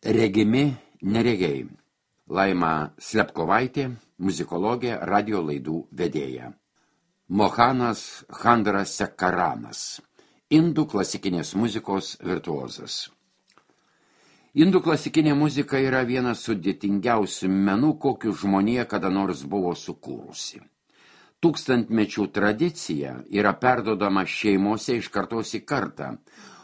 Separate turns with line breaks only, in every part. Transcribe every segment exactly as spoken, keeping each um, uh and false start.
Regimi neregiai. Laima Slepkovaitė, muzikologė, radio laidų vedėja. Mohanas Chandrasekaranas, indų klasikinės muzikos virtuozas. Indų klasikinė muzika yra vienas sudėtingiausių menų, kokių žmonija kada nors buvo sukūrusi. Tūkstantmečių tradicija yra perdodama šeimose iš kartos į kartą,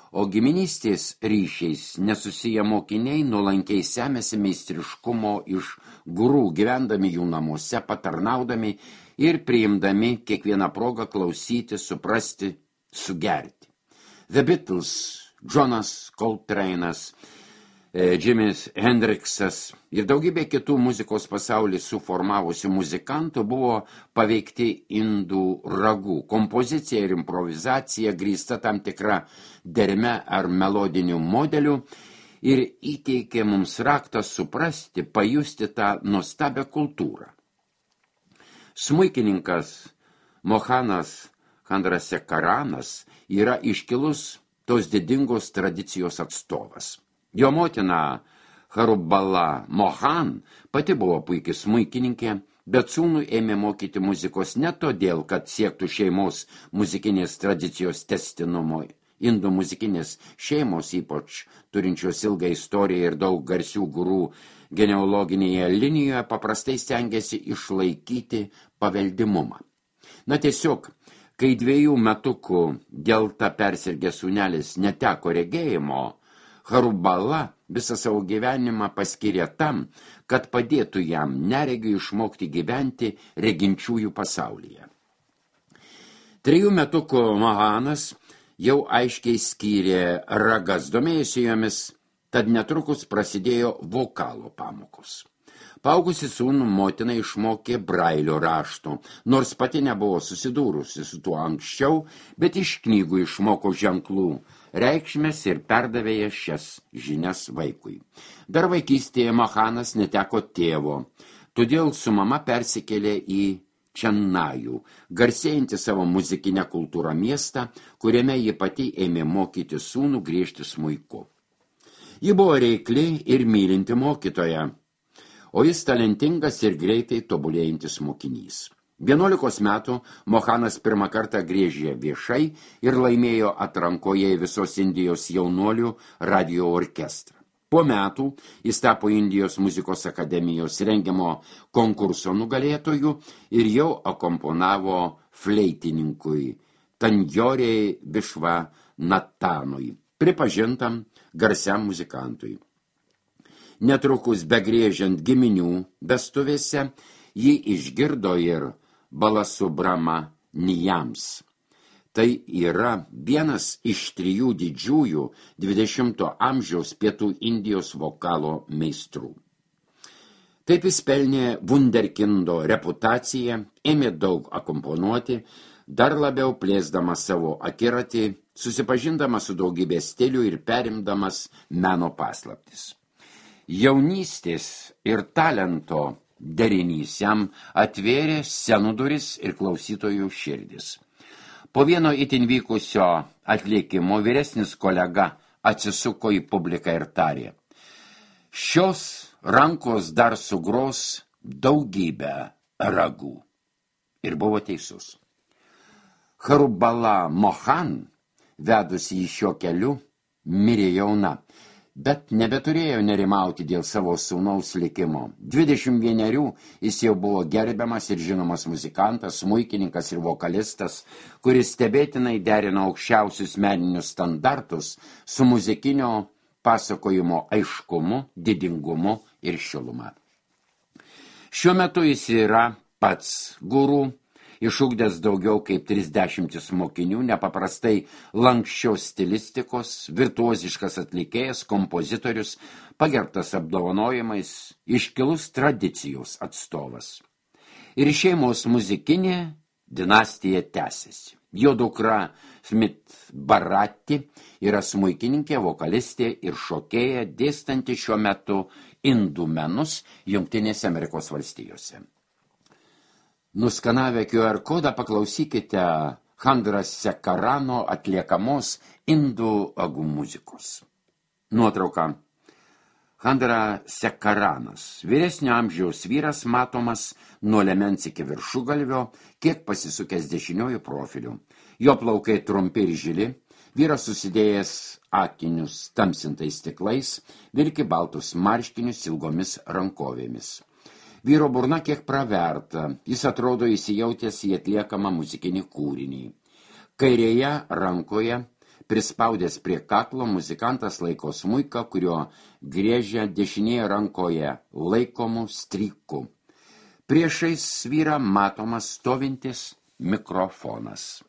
o giminystės ryšiais nesusiję mokiniai nuolankiai semėsi meistriškumo iš gurų, gyvendami jų namuose, patarnaudami ir priimdami kiekvieną progą klausyti, suprasti, sugerti. The Beatles, Jonas Coltrane'as, Jimis Hendriksas ir daugybė kitų muzikos pasaulį suformavusių muzikantų buvo paveikti indų ragų. Kompozicija ir improvizacija grįsta tam tikra derme ar melodinių modelių ir įteikė mums raktą suprasti, pajusti tą nuostabią kultūrą. Smuikininkas Mohanas Chandrasekaranas yra iškilus tos didingos tradicijos atstovas. Jo motina Harubala Mohan pati buvo puikiai smuikininkė, bet sūnų ėmė mokyti muzikos ne todėl, kad siektų šeimos muzikinės tradicijos tęstinumo. Indų muzikinės šeimos, ypač turinčios ilgą istoriją ir daug garsių gurų genealoginėje linijoje, paprastai stengiasi išlaikyti paveldimumą. Na tiesiog, kai dviejų metukų gelta persirgęs sūnelis neteko regėjimo, Harubala visą savo gyvenimą paskyrė tam, kad padėtų jam neregiui išmokti gyventi reginčiųjų pasaulyje. Trijų metukų Mohanas jau aiškiai skyrė ragas, domėjosi jomis, tad netrukus prasidėjo vokalo pamokos. Paaugusi sūnų motina išmokė brailio rašto, nors pati nebuvo susidūrusi su tuo anksčiau, bet iš knygų išmoko ženklų reikšmės ir perdavė šias žinias vaikui. Dar vaikystėje Mohanas neteko tėvo, todėl su mama persikėlė į Čennajų, garsėjantį savo muzikinę kultūrą miestą, kuriame ji pati ėmė mokyti sūnų griežti smuiku. Ji buvo reikli ir mylinti mokytoja, o jis talentingas ir greitai tobulėjantis mokinys. Vienuolikos metų Mohanas pirmą kartą griežė viešai ir laimėjo atrankoje visos Indijos jaunuolių radio orkestrą. Po metų jis tapo Indijos muzikos akademijos rengiamo konkurso nugalėtojų ir jau akomponavo fleitininkui Tanjorei Višvanatanui, pripažintam garsiam muzikantui. Netrukus begriežiant giminių vestuvėse, jį išgirdo ir Balasubramaniams. Tai yra vienas iš trijų didžiųjų dvidešimto amžiaus pietų Indijos vokalo meistrų. Taip jis pelnė vunderkindo reputaciją, ėmė daug akomponuoti, dar labiau plėsdamas savo akiratį, susipažindamas su daugybė stilių ir perimdamas meno paslaptis. Jaunystės ir talento derinys jam atvėrė scenų duris ir klausytojų širdis. Po vieno itin vykusio atlikimo vyresnis kolega atsisuko į publiką ir tarė: šios rankos dar sugros daugybę ragų. Ir buvo teisus. Harubala Mohan, vedusi į šio keliu, mirė jauna, bet nebeturėjo nerimauti dėl savo sūnaus likimo. dvidešimt vienerių jis jau buvo gerbiamas ir žinomas muzikantas, smuikininkas ir vokalistas, kuris stebėtinai derino aukščiausius meninius standartus su muzikinio pasakojimo aiškumu, didingumu ir šiluma. Šiuo metu jis yra pats guru, išugdęs daugiau kaip trisdešimt mokinių, nepaprastai lanksčios stilistikos, virtuoziškas atlikėjas, kompozitorius, pagerbtas apdovanojimais, iškilus tradicijos atstovas. Ir šeimos muzikinė dinastija tęsiasi. Jo dukra Smith Bharati yra smuikininkė, vokalistė ir šokėja, dėstanti šiuo metu indų menus Jungtinėse Amerikos valstijose. Nuskanavę Q R kodą paklausykite Chandrasekarano atliekamos indų agų muzikos. Nuotrauka. Chandrasekharanas, vyresnio amžiaus vyras, matomas nuo liemens iki viršugalvio, kiek pasisukęs dešiniojų profilių. Jo plaukai trumpi ir žili, vyras susidėjęs akinius tamsintais stiklais, vilki baltus marškinius ilgomis rankovėmis. Vyro burna kiek praverta, jis atrodo įsijautęs į atliekamą muzikinį kūrinį. Kairėje rankoje, prispaudęs prie kaklo, muzikantas laiko smuiką, kurio griežia dešinėje rankoje laikomų strykų. Priešais vyrą matomas stovintis mikrofonas.